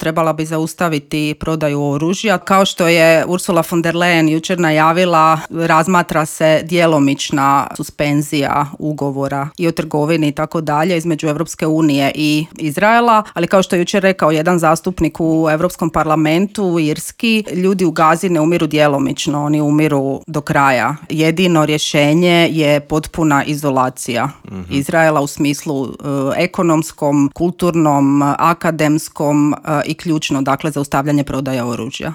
trebala bi zaustaviti prodaju oružja. Kao što je Ursula von der Leyen jučer najavila, razmatra se djelomična suspenzija ugovora i o trgovini i tako dalje između Europske unije i Izraela, ali kao što je jučer rekao jedan zastupnik u Europskom parlamentu, irski, ljudi u Gazi ne umiru djelomično, oni umiru do kraja. Jedino rješenje je potpuna izolacija Izraela u smislu ekonomskom, kulturnom, akademskom i ključno, dakle, zaustavljanje prodaje oružja.